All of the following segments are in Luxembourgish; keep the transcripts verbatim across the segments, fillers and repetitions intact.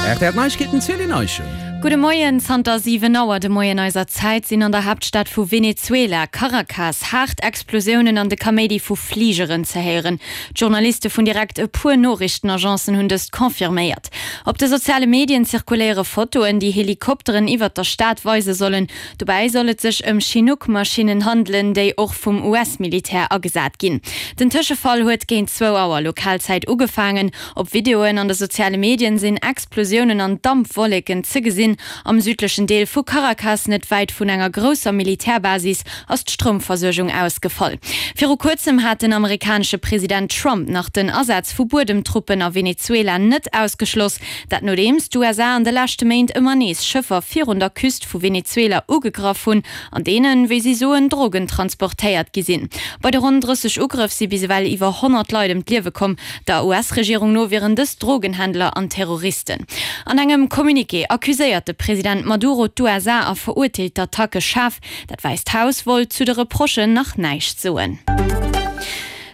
R T L Neiegkeeten, Céline Eischen. Gudde Moien, Zanter siwen Auer de Moien eiser Zäit sinn an der Haaptstad vu Venezuela, Caracas, haart Explosiounen an de Kaméidi vu Fligeren ze héieren. D'Journaliste vun direkt e puer Noriichtenagencen hunn dëst confirméiert. Op de soziale Medien zirkuléiere Fotoen, déi Helikopteren iwwert der Stad weise sollen. Dobäi soll et sech ëm Chinook-Maschinnen handelen, déi och vum U S-Militär agesat ginn. Den Tëschefall huet géint zwou Auer Lokalzäit ugefaangen. Op Videoen an de soziale Medien sinn Explosiounen an Dampwolleken ze gesinn. Am südlechen Deel vu Caracas, net wäit vun enger grousser Militärbasis, ass d'Stroumversuergung ausgefall. Viru kuerzem hat den amerikanesche President Trump nach den Asaz vu Buedemtruppen a Venezuela net ausgeschloss. Dat nodeems d'U S A an de leschte Méint ëmmer nees Schëffer virun der Küst vu Venezuela ugegraff hunn, an deenen, wéi si soen, Drogen transportéiert gi sinn. Bei de ronn drësseg Ugrëff si bis ewell iwwer honnert Leit ëm d'Liewe komm. Der U S-Regierung no wieren dës Drogenhändler an Terroristen. An engem Communiqué accuséiert de President Maduro d'U S A a verurteelt d'Attacke schaarf. Dat Wäisst Haus wollt zu de Reprochen nach näischt soen.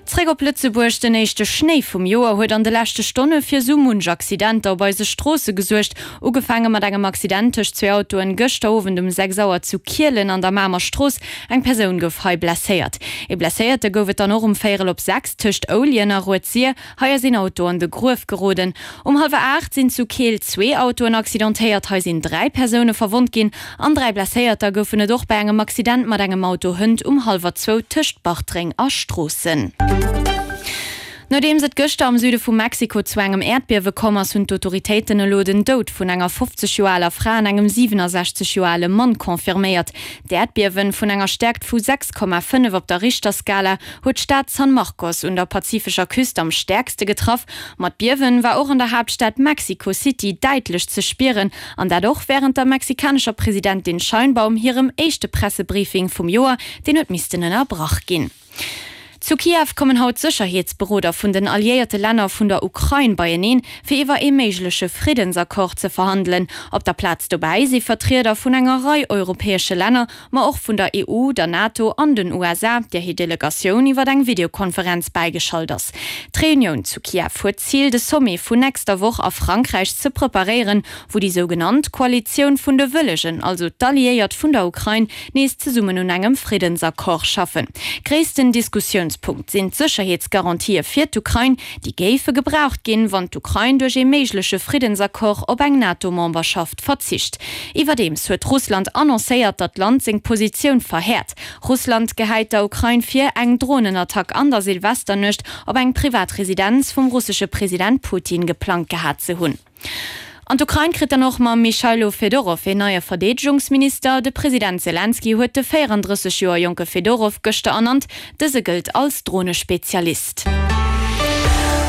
Zréck op Lëtzebuerg, Den éischte Schnéi vum Joer huet an de leschte Stonne fir sou munch Accidenter op eise Stroosse gesuergt. Ugefaange mat engem Accident tëscht zwee Autoen gëschter Owend um sechs Auer zu Kielen an der Mamer Strooss. Eng Persoun gouf hei blesséiert. Ee Blesséierte gouf et dann och um véierel op sechs tëscht Ouljen a Rued-Sir. Hei ass een Auto an de Gruef geroden. Um hallwer aacht sinn zu Keel zwee Autoen accidentéiert. Hei sinn dräi Persoune verwonnt ginn an dräi Blesséierter goufen et och bei engem Accident mat engem Auto hënt um hallwer zwou tëscht Bartreng a Stroossen. Nodeems et gëschter am Süde vu Mexiko zu engem Äerdbiewe komm ass, hunn d'Autoritéiten elo den Doud vun enger fofzeg Joer aler Fra an engem siwenesechzeg Joer ale Mann confirméiert. D'Äerdbiewe vun enger Stäerkt vu sechs Komma fënnef op der Richterskala huet d'Stad San Marcos un der pazifescher Küst am stäerkste getraff. Ma d'Biewe war och an der Haaptstad Mexico City däitlech ze spieren, an dat och wärend der mexikanescher Presidentin Sheinbaum hirem éischte Pressebriefing vum Joer, deen huet missten ënnerbrach ginn. Zu Kiew kommen haut d'Sécherheetsberoder vun den alliéierte Länner vun der Ukrain beieneen, fir iwwer ee méigleche Friddensaccord ze verhandelen. Op der Plaz dobäi si Vertrieder vun enger Rei europäesche Länner, ma och vun der E U, der NATO an den U S A, där hir Delegatioun iwwer eng Videokonferenz bäigeschalt ass. D'Reunioun zu Kiew huet d'Zil, de Sommet vun nächster Woch a Frankräich ze preparéieren, wou déi sougenannt Koalitioun vun de Wëllegen, also d'Alliéiert vun der Ukrain, nees zesummen un engem Friddensaccord schaffen. Gréissten Diskussiounspunkt sinn d'Sécherheetsgarantië fir d'Ukrain, déi géife gebraucht ginn, wann d'Ukrain duerch ee méigleche Friddensaccord op eng NATO-Memberschaft verzicht. Iwwerdeems huet Russland annoncéiert, datt d'Land seng Positioun verhäert. Russland gehäit der Ukrain vir, eng Dronenattack an der Silvesternuecht op eng privat Residenz vum russesche President Putin geplangt gehat ze hunn. An d'Ukrain kritt dann och mam Mychajlo Fedorow een neie Verdeedegungsminister. De President Selenskyj huet de véierandrësseg Joer jonke Fedorow gëschter ernannt. Dëse gëllt als Dronespezialist.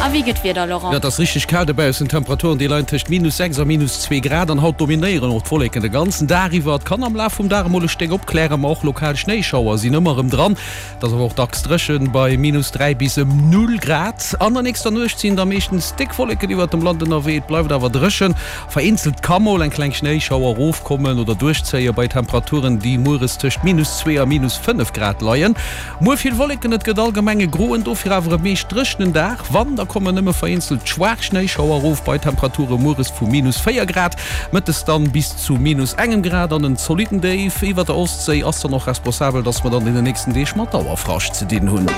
A wéi gëtt d'Wieder, Laurent? Jo, et ass richteg kal dobaussen. D'Temperaturen, déi leien tëscht minus sechs a minus zwee Grad. An haut dominéieren och d'Wolleken de ganzen Dag iwwer. Et kann am Laf vum Dag emol e Stéck opklären, ma och lokal Schnéischauer sinn ëmmer erëm dran. Et ass awer och dacks dréchen, bei minus dräi bis ëm null Grad. An der nächster Nuecht sinn da meeschtens déck Wolleken iwwert dem Land ënnerwee, et bleift awer dréchen. Vereenzelt ka mol eng kleng Schnéischauer erofkommen oder duerchzéien, bei Temperaturen, déi mueres tëscht minus zwee a minus fënnef Grad leien. Muer vill Wolleken, et gëtt allgemeng e groen, dofir awer e meescht dréchenen Dag. Wann, da kommen nëmme vereenzelt schwaach Schnéischauer erof, bei Temperature mueres vu minus véier Grad, mëttes dann bis zu minus engem Grad. An en zolitten Déif iwwer der Ostséi ass dann och responsabel, dass mer dann an den nächsten Deeg mat Dauerfrascht ze dinn hunn.